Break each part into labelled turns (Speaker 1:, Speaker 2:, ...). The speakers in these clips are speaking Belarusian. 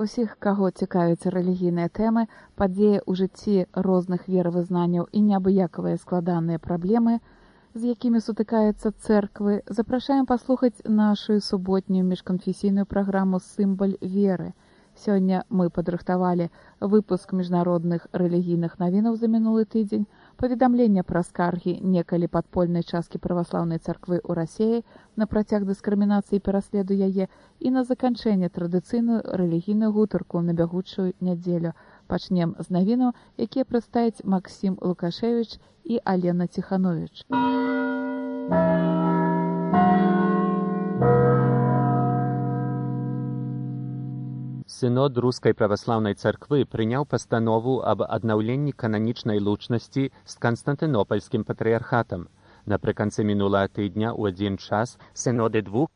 Speaker 1: Усіх, каго цікавяць рэлігійныя тэмы, падзеі ў жыцці розных веравызнанняў і неабыякавыя складаныя праблемы, з якімі сутыкаюцца цэрквы, запрашаем паслухаць нашу суботнюю міжканфесійную праграму «Сімвал веры». Сёння мы падрыхтавалі выпуск міжнародных рэлігійных навінаў за мінулы тыдзень, паведамлення пра скаргі некалі падпольнай часткі праваслаўнай царквы ў Расіі на працяг дыскрымінацыі і пераследу яе і на заканчэнне традыцыйную рэлігійную гутарку на бягучую нядзелю. Пачнем з навінаў, якія прадставяць Максім Лукашевіч і Алена Ціхановіч.
Speaker 2: Сынод Рускай праваслаўнай царквы прыняў пастанову аб аднаўленні кананічнай лучнасці з Канстантынопольскім патрыярхатам. Напрыканцы мінулага тыдня ў адзін час сыноды двух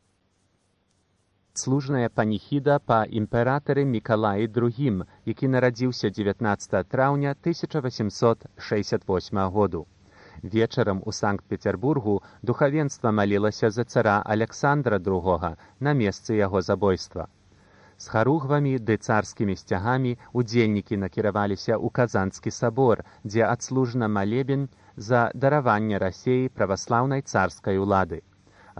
Speaker 2: служная паніхіда па імператары Мікалаі II, які нарадзіўся 19 траўня 1868 году. Вечарам у Санкт-Петербургу духавенства малілася за цара Александра II на месцы яго забойства. З харугвамі ды царскімі сцягамі удзельнікі накіраваліся ў Казанскі сабор, дзе адслужана малебен за дараванне Расіі праваслаўнай царскай улады.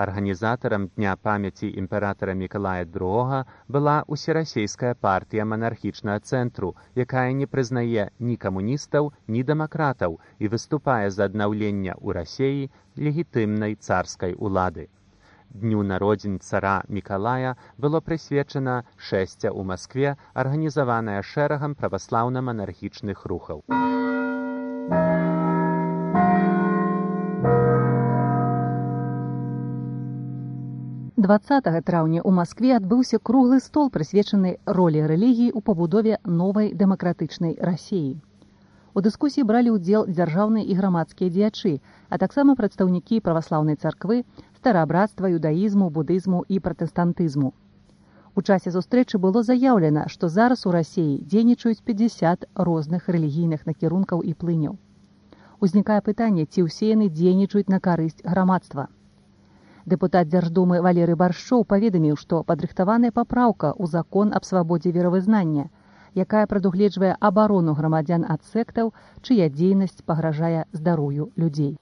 Speaker 2: Арганізатарам Дня памяці імператара Мікалая II была Усерасійская партыя манархічнага цэнтру, якая не прызнае ні камуністаў, ні дэмакратаў і выступае за аднаўлення ў Расіі легітымнай царскай улады. Дню народзін цара Мікалая было прысвечана шэсце ў Маскве, арганізаванае шэрагам праваслаўна-манархічных рухаў.
Speaker 3: 20 траўня ў Маскве адбыўся круглы стол, прысвечаны ролі рэлігіі ў пабудове новай дэмакратычнай Расіі. У дыскусіі бралі ўдзел дзяржаўныя і грамадскія дзеячы, а таксама прадстаўнікі праваслаўнай царквы, стараабрацтва, юдаізму, будызму і пратэстантызму. У часе сустрэчы было заяўлена, што зараз у Расіі дзейнічаюць 50 розных рэлігійных накірункаў і плыняў. Узнікае пытанне, ці ўсе яны дзейнічаюць на карысць грамадства. Дэпутат Дзярждумы Валерый Баршчоў паведаміў, што падрыхтаваная папраўка ў закон аб свабодзе веравызнання, якая прадугледжвае абарону грамадзян ад сектаў, чыя дзейнасць пагражае здароўю людзей.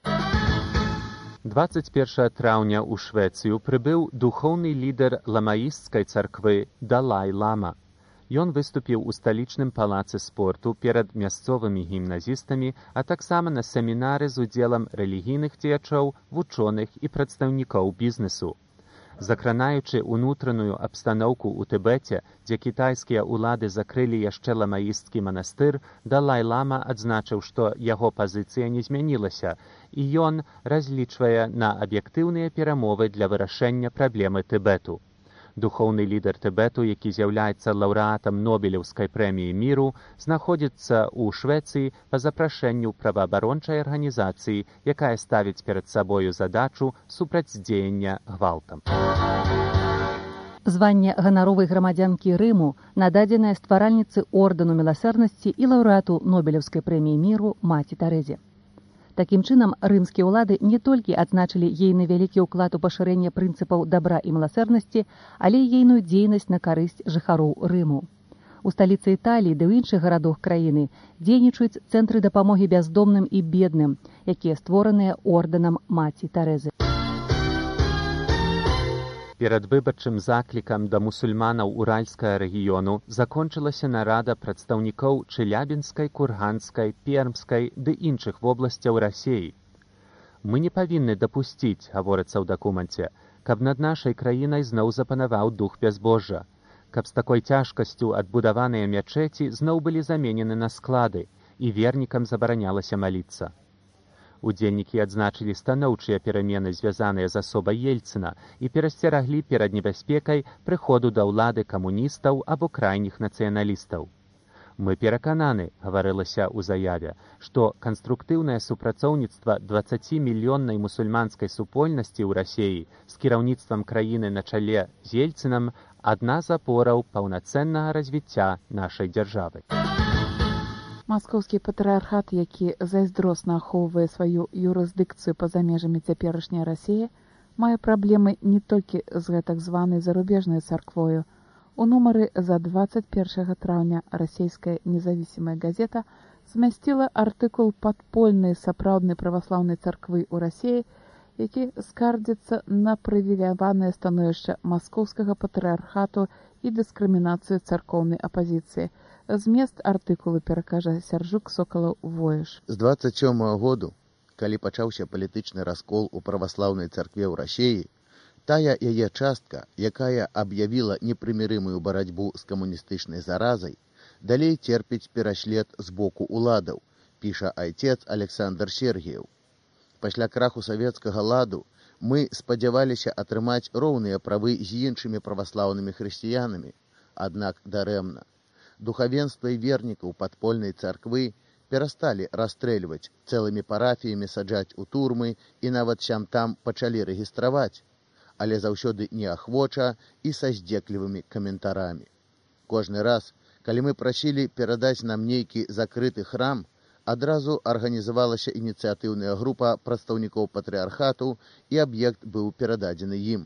Speaker 2: 21 траўня ў Швецыю прыбыў духоўны лідар ламаісцкай царквы Далай-лама. Ён выступіў у сталічным палацы спорту перад мясцовымі гімназістамі, а таксама на семінары з удзелам рэлігійных дзеячоў, вучоных і прадстаўнікоў бізнесу. Закранаючы ўнутраную абстаноўку ў Тыбеце, дзе кітайскія ўлады закрылі яшчэ ламаістскі манастыр, Далай-лама адзначыў, што яго пазіцыя не змянілася, і ён разлічвае на аб'ектыўныя перамовы для вырашэння праблемы Тыбету. Духоўны лідар Тыбету, які з'яўляецца лаўрэатам Нобелеўскай прэміі міру, знаходзіцца ў Швецыі па запрашэнню праваабарончай арганізацыі, якая ставіць перад сабою задачу супрацьдзеяння гвалтам.
Speaker 3: Званне ганаровай грамадзянкі Рыму нададзенае стваральніцы ордэну міласэрнасці і лаўрэату Нобелеўскай прэміі міру маці Тэрэзе. Такім чынам, рымскія ўлады не толькі адзначылі ейны вялікі ўклад у пашырэнне прынцыпаў дабра і міласэрнасці, але і ейную дзейнасць на карысць жыхароў Рыму. У сталіцы Італіі ды ў іншых гарадах краіны дзейнічаюць цэнтры дапамогі бяздомным і бедным, якія створаныя ордэнам маці Тэрэзы.
Speaker 2: Перад выбарчым заклікам да мусульманаў Уральскага рэгіёну закончылася нарада прадстаўнікоў Чэлябінскай, Курганскай, Пермскай ды іншых вобласцяў Расіі. Мы не павінны дапусціць, гаворыцца ў дакуменце, каб над нашай краінай зноў запанаваў дух бязбожжа, каб з такой цяжкасцю адбудаваныя мячэці зноў былі заменены на склады і вернікам забаранялася маліцца. Удзельнікі адзначылі станоўчыя перамены, звязаныя з асобай Ельцына, і перасцераглі перад небяспекай прыходу да ўлады камуністаў або крайніх нацыяналістаў. Мы перакананы, гаварылася ў заяве, што канструктыўнае супрацоўніцтва 20-мільённай мусульманскай супольнасці ў Расіі з кіраўніцтвам краіны на чале з Ельцынам адна з апораў паўнацэннага развіцця нашай дзяржавы.
Speaker 1: Маскоўскі патрыярхат, які зайздросна ахоўвае сваю юрысдыкцыю па-за межамі цяперашняй Расіі, мае праблемы не толькі з гэтак званай зарубежнай царквою. У нумары за 21 траўня расійская независимая газета змясціла артыкул падпольнай сапраўднай праваслаўнай царквы ў Расіі, які скардзіцца на прывіляванае становішча маскоўскага патрыархату і дыскрымінацыю царкоўнай апазіцыі. Змест артыкулу перакажа Сяржук Сокалаў-Воеш.
Speaker 4: З 27-го году, калі пачаўся палітычны раскол у праваслаўнай царкве ў Расіі, тая яе частка, якая аб'явіла непрымірымую барацьбу з камуністычнай заразай, далей церпіць пераслед з боку уладаў, піша айцец Александр Сергіеў. Пасля краху савецкага ладу мы спадзяваліся атрымаць роўныя правы з іншымі праваслаўнымі хрысціянамі, аднак дарэмна. Духавенства і вернікаў падпольнай царквы перасталі расстрэльваць, цэлымі парафіямі саджаць у турмы і нават сям-там пачалі рэгістраваць, але заўсёды неахвоча і са здзеклівымі каментарамі. Кожны раз, калі мы прасілі перадаць нам нейкі закрыты храм, адразу арганізавалася ініцыятыўная група прадстаўнікоў патрыархату і аб'ект быў перададзены ім.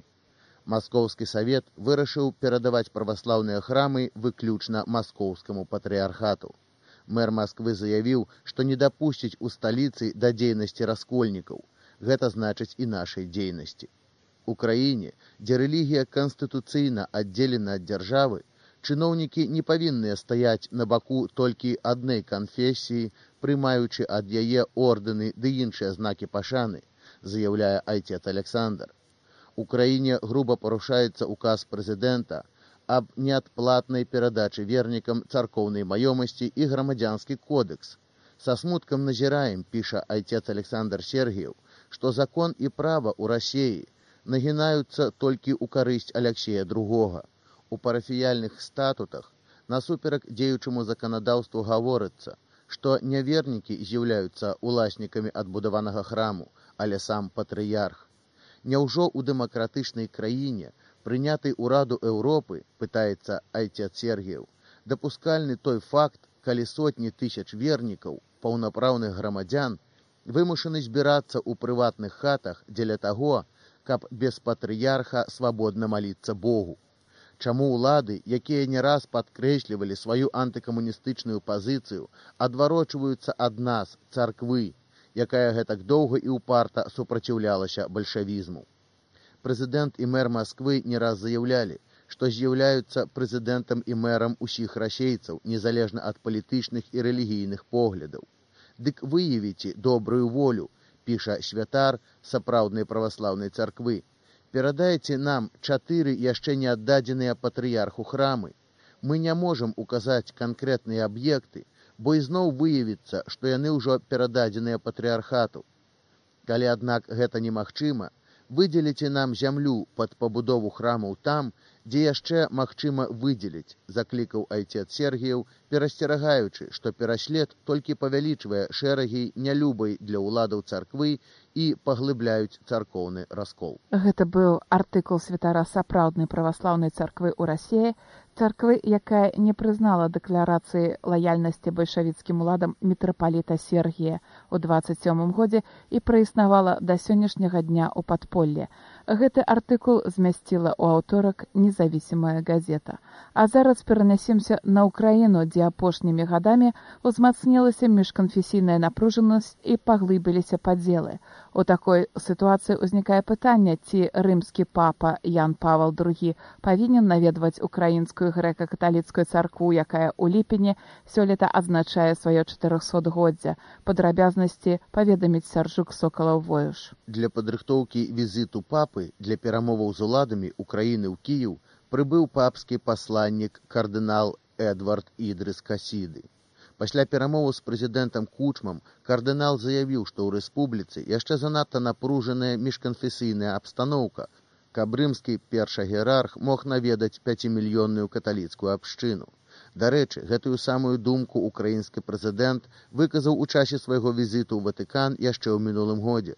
Speaker 4: Маскоўскі савет вырашыў перадаваць праваслаўныя храмы выключна маскоўскаму патрыархату. Мэр Масквы заявіў, што не дапусціць у сталіцы да дзейнасці раскольнікаў. Гэта значыць і нашай дзейнасці. У краіне, дзе рэлігія канстытуцыйна аддзелена ад дзяржавы, чыноўнікі не павінныя стаяць на баку толькі адной канфесіі, прымаючы ад яе ордэны ды іншыя знакі пашаны, заяўляе айцец Александр. У краіне груба парушаецца указ прэзідэнта аб неадплатнай перадачы вернікам царкоўнай маёмасці і грамадзянскі кодекс. Са смуткам назіраем, піша айцец Александр Сергіеў, што закон і права ў Расіі нагінаюцца толькі ў карысць Аляксея II. У парафіяльных статутах насуперак дзеючаму заканадаўству гаворыцца, што не вернікі з'яўляюцца уласнікамі адбудаванага храму, але сам патрыярх. Няўжо ў дэмакратычнай краіне, прынятай у Раду Еўропы, пытаецца айцец Сергіеў, дапускальны той факт, калі сотні тысяч вернікаў, паўнапраўных грамадзян, вымушаны збірацца ў прыватных хатах дзеля таго, каб без патрыярха свабодна маліцца Богу. Чаму ўлады, якія не раз падкрэслівалі сваю антыкамуністычную пазіцыю, адварочваюцца ад нас, царквы, якая гэтак доўга і ўпарта супраціўлялася бальшавізму. Прэзідэнт і мэр Масквы не раз заяўлялі, што з'яўляюцца прэзідэнтам і мэрам усіх расейцаў, незалежна ад палітычных і рэлігійных поглядаў. Дык выявіце добрую волю, піша святар сапраўднай праваслаўнай царквы. Перадайце нам 4 яшчэ не аддадзеныя патрыярху храмы. Мы не можам указаць канкрэтныя аб'екты, бо ізноў выявіцца, што яны ўжо перададзеныя патрыархату. Калі, аднак, гэта немагчыма, выдзеліце нам зямлю пад пабудову храмаў там, дзе яшчэ магчыма выдзеліць, заклікаў айцец Сергіеў, перасцерагаючы, што пераслед толькі павялічвае шэрагі нялюбай для ўладаў царквы і паглыбляюць царкоўны раскол.
Speaker 1: Гэта быў артыкул святара сапраўднай праваслаўнай царквы ў Расіі, царквы, якая не прызнала дэкларацыі лаяльнасці бальшавіцкім уладам мітрапаліта Сергія ў 27 годзе і праіснавала да сённяшняга дня ў падполлі. Гэты артыкул змясціла ў аўторак независимая газета. А зараз перанесемся на Украіну, дзе апошнімі гадамі узмацнілася міжканфесійная напружанасць і паглыбіліся падзелы. У такой сітуацыі ўзнікае пытанне, ці рымскі папа Ян Павел II павінен наведваць украінскую грэка-каталіцкую царкву, якая ў ліпені сёлета адзначае сваё 400-годдзе. Падрабязнасці паведаміць Сяржук Сокалаў-Воеш.
Speaker 4: Для падрыхтоўкі візіту папы для перамоваў з уладамі Украіны ў Кіеў прыбыў папскі пасланнік кардынал Эдвард Ідрыс Касіды. Пасля перамоваў з прэзідэнтам Кучмам кардынал заявіў, што ў рэспубліцы яшчэ занадта напружаная міжканфесійная абстаноўка, каб рымскі першагерарх мог наведаць 5-мільённую каталіцкую абшчыну. Дарэчы, гэтую самую думку украінскі прэзідэнт выказаў у часе свайго візіту ў Ватыкан яшчэ ў мінулым годзе.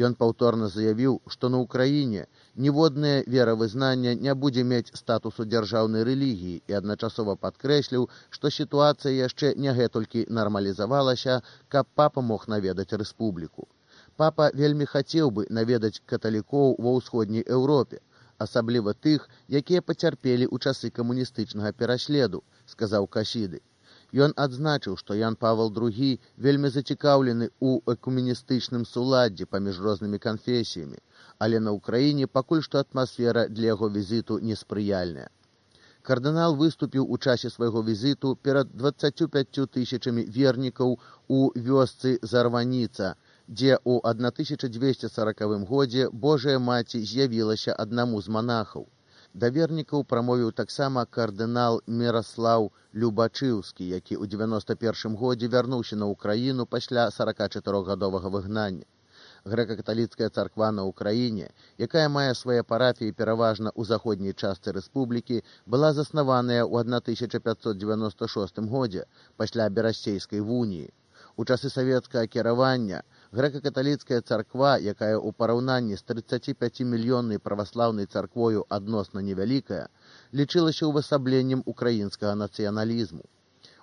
Speaker 4: Ён паўторна заявіў, што на Украіне ніводнае веравызнанне не будзе мець статусу дзяржаўнай рэлігіі і адначасова падкрэсліў, што сітуацыя яшчэ не гэтулькі нармалізавалася, каб папа мог наведаць рэспубліку. Папа вельмі хацеў бы наведаць каталікоў ва ўсходняй Еўропе, асабліва тых, якія пацярпелі ў часы камуністычнага пераследу, сказаў Касіды. Ён адзначыў, што Ян Павел II вельмі зацікаўлены ў экуменістычным суладдзі паміж рознымі канфесіямі, але на Ўкраіне пакуль што атмасфера для яго візіту неспрыяльная. Кардынал выступіў у часе свайго візіту перад 25 тысячамі вернікаў у вёсцы Зарваніца, дзе ў 1240 годзе Божая Маці з'явілася аднаму з монахаў. Да вернікаў прамовіў таксама кардынал Міраслаў Любачыўскі, які ў 91 годзе вярнуўся на Ўкраіну пасля 44-гадовага выгнання. Грэка-каталіцкая царква на Ўкраіне, якая мае свае парафіі пераважна ў заходняй частцы рэспублікі, была заснаваная ў 1596 годзе пасля Берасцейскай вуніі. У часы савецкага кіравання грэка-каталіцкая царква, якая ў параўнанні з 35-мільённай праваслаўнай царквою адносна невялікая, лічылася ўвасабленнем украінскага нацыяналізму.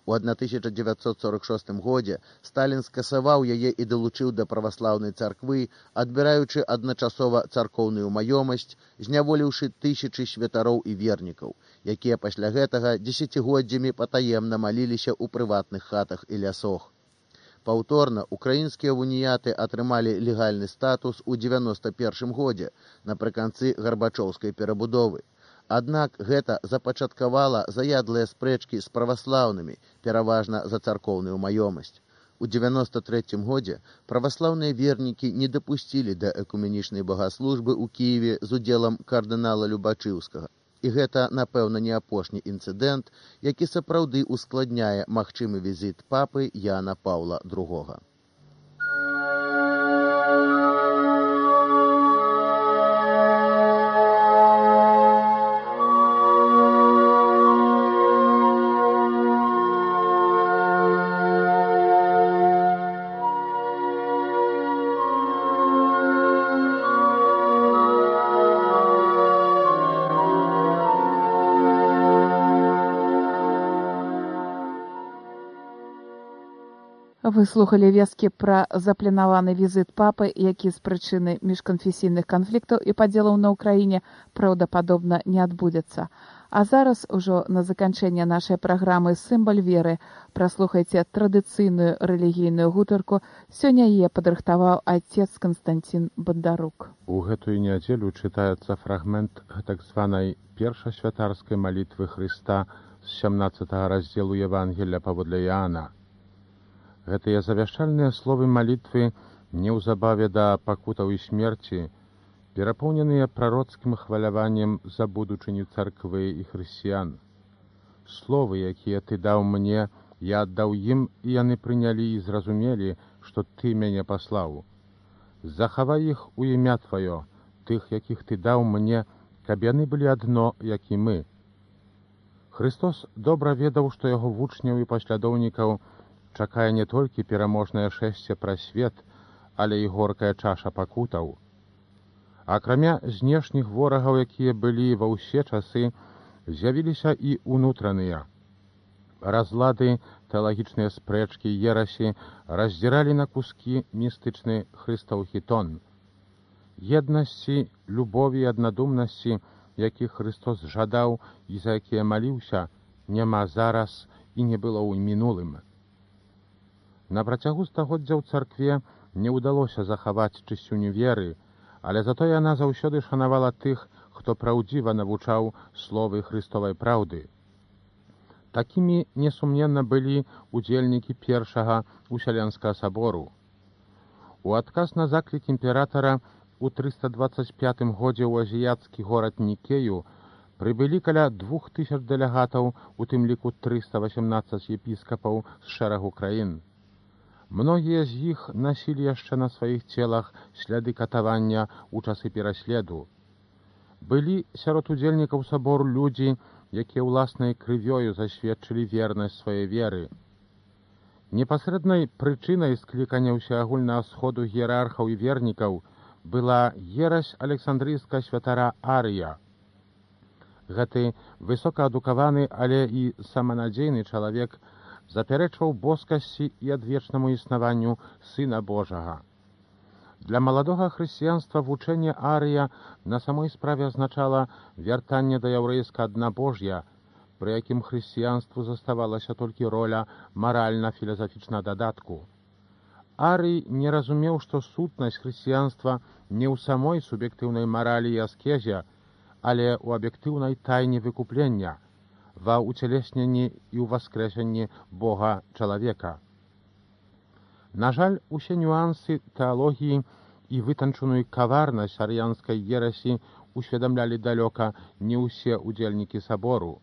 Speaker 4: У 1946 годзе Сталін скасаваў яе і далучыў да праваслаўнай царквы, адбіраючы адначасова царкоўную маёмасць, зняволіўшы тысячы святароў і вернікаў, якія пасля гэтага дзесяцігоддзямі патаемна маліліся ў прыватных хатах і лясох. Паўторна украінскія уніяты атрымалі легальны статус у 91 годзе, напрыканцы гарбачоўскай перабудовы. Аднак гэта запачаткавала заядлыя спрэчкі з праваслаўнымі, пераважна за царкоўную маёмасць. У 93 годзе праваслаўныя вернікі не дапусцілі да экуменічнай багаслужбы ў Кіеве з удзелам кардынала Любачыўскага. І гэта, напэўна, не апошні інцыдэнт, які сапраўды ускладняе магчымы візіт папы Яна Паўла II.
Speaker 1: Вы слухалі весткі пра запланаваны візіт папы, які з прычыны міжканфесійных канфліктаў і падзелаў на Ўкраіне праўдападобна не адбудзецца. А зараз ужо на заканчэнне нашай праграмы «Сімвал веры» праслухайце традыцыйную рэлігійную гутарку. Сёння яе падрыхтаваў отец Константин Бондарук.
Speaker 5: У гэтую нядзелю чытаецца фрагмент так званай першасвятарскай малітвы Хрыста з 17 раздзелу Евангелля паводле Іоанна. Гэтыя завяшчальныя словы малітвы неўзабаве да пакутаў і смерці, перапоўненыя прароцкім хваляваннем за будучыню царквы і хрысціян. Словы, якія ты даў мне, я аддаў ім, і яны прынялі і зразумелі, што ты мяне паслаў. Захавай іх у імя тваё, тых, якіх ты даў мне, каб яны былі адно, як і мы. Христос добра ведаў, што яго вучняў і паслядоўнікаў чакае не толькі пераможнае шэсце праз свет, але і горкая чаша пакутаў. Акрамя знешніх ворагаў, якія былі ва ўсе часы, з'явіліся і ўнутраныя. Разлады, тэалагічныя спрэчкі, ерасі раздзіралі на кускі містычны Хрыстаў хітон. Еднасці, любові і аднадумнасці, якіх Христос жадаў і за якія маліўся, няма зараз і не было ў мінулым. На працягу стагоддзяў царкве не ўдалося захаваць чысціню веры, але затое яна заўсёды шанавала тых, хто праўдзіва навучаў словы Христовай праўды. Такімі несумненна былі удзельнікі першага Усяленскага сабору. У адказ на заклік імператара у 325 годзе ў азіяцкі горад Нікею прыбылі каля 2000 дэлегатаў, у тым ліку 318 епіскапаў з шэрагу краін. Многія з іх насілі яшчэ на сваіх целах сляды катавання ў часы пераследу. Былі сярод удзельнікаў сабору людзі, якія ўласнай крывёю засведчылі вернасць сваёй веры. Непасрэднай прычынай склікання ўсеагульнага сходу іерархаў і вернікаў была ерась александрыйскага святара Арыя. Гэты высокаадукаваны, але і саманадзейны чалавек запярэчваў боскасці і адвечнаму існаванню Сына Божага. Для маладога хрысціянства вучэнне Арыя на самой справе азначала вяртанне да яўрэйскага аднабож'я, пры якім хрысціянству заставалася толькі роля маральна-філасафічнага дадатку. Арый не разумеў, што сутнасць хрысціянства не ў самой суб'ектыўнай маралі і аскезе, але ў аб'ектыўнай тайне выкуплення, ва ўцелесненні і ўваскрэсенні Бога чалавека. На жаль, усе нюансы тэалогіі і вытанчаную каварнасць арыянскай ерасі усведамлялі далёка не ўсе ўдзельнікі сабору.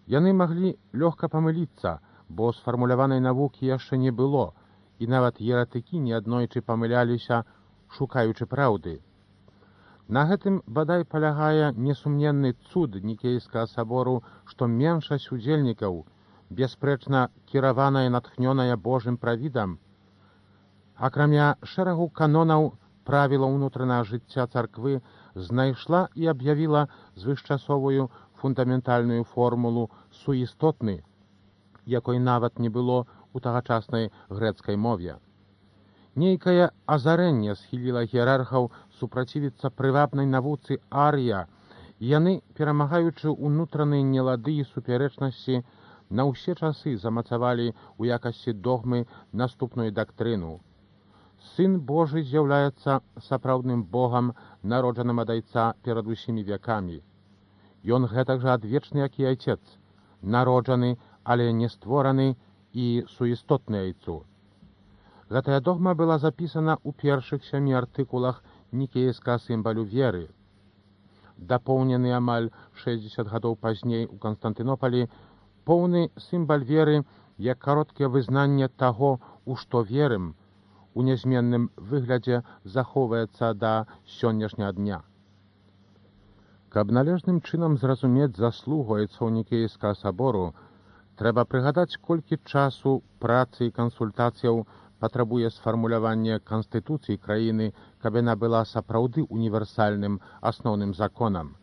Speaker 5: Яны маглі лёгка памыліцца, бо сфармуляванай навукі яшчэ не было, і нават еретыкі неаднойчы памыляліся, шукаючы праўды. На гэтым бадай палягае несумненны цуд Нікейскага сабору, што меншасць удзельнікаў, бясспрэчна кіраваная, натхнёная Божым правідам, акрамя шэрагу канонаў правіла ўнутранага жыцця царквы, знайшла і аб'явіла звышчасовую фундаментальную формулу суістотны, якой нават не было у тагачаснай грэцкай мове. Нейкае азарэнне схіліла іерархаў супрацівіцца прывабнай навуцы Арія, і яны, перамагаючы ўнутраныя нелады і супярэчнасці, на ўсе часы замацавалі ў якасці догмы наступную дактрыну. Сын Божы з'яўляецца сапраўдным Богам, народжаным ад Айца перад усімі вякамі. Ён гэтак жа адвечны, як і Айцец, народжаны, але не створаны і суістотны Айцу. Гэтая догма была запісана ў першых 7 артыкулах нікейскага сімвалю веры. Дапоўнены амаль 60 гадоў пазней у Канстантынополі, поўны сімвал веры як кароткае вызнанне таго, у што верым, у нязменным выглядзе захоўваецца да сённяшняга дня. Каб належным чынам зразумець заслугу айцоў Нікейскага сабору, трэба прыгадаць, колькі часу, працы і кансультацыяў патрабуе сфармулявання канстытуцыі краіны, каб яна была сапраўды універсальным асноўным законам.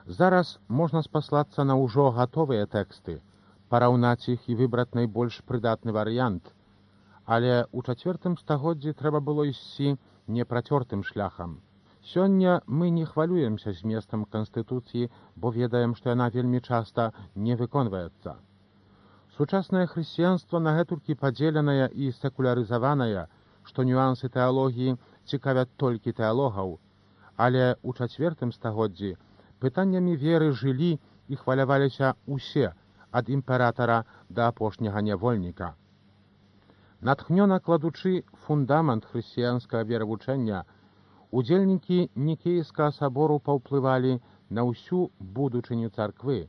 Speaker 5: Зараз можна спаслацца на ўжо гатовыя тэксты, параўнаць іх і выбраць найбольш прыдатны варыянт, але ў 4 стагоддзі трэба было ісці непрацёртым шляхам. Сёння мы не хвалюемся зместам Канстытуцыі, бо ведаем, што яна вельмі часта не выконваецца. Сучаснае хрысціянства нагэтулькі падзеленая і секулярызаваная, што нюансы тэалогіі цікавят толькі тэалогаў, але ў 4 стагоддзі пытаннямі веры жылі і хваляваліся ўсе, ад імператара да апошняга нявольніка. Натхнёна кладучы фундамент хрысціянскага веравучэння, удзельнікі Нікейскага сабору паўплывалі на ўсю будучыню царквы.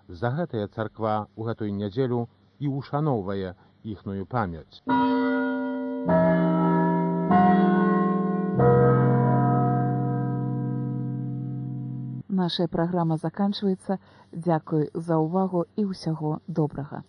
Speaker 5: За гэтая царква ў гэтую нядзелю і ушаноўвае іхную памяць.
Speaker 1: Наша праграма заканчваецца. Дзякуй за ўвагу і ўсяго добрага.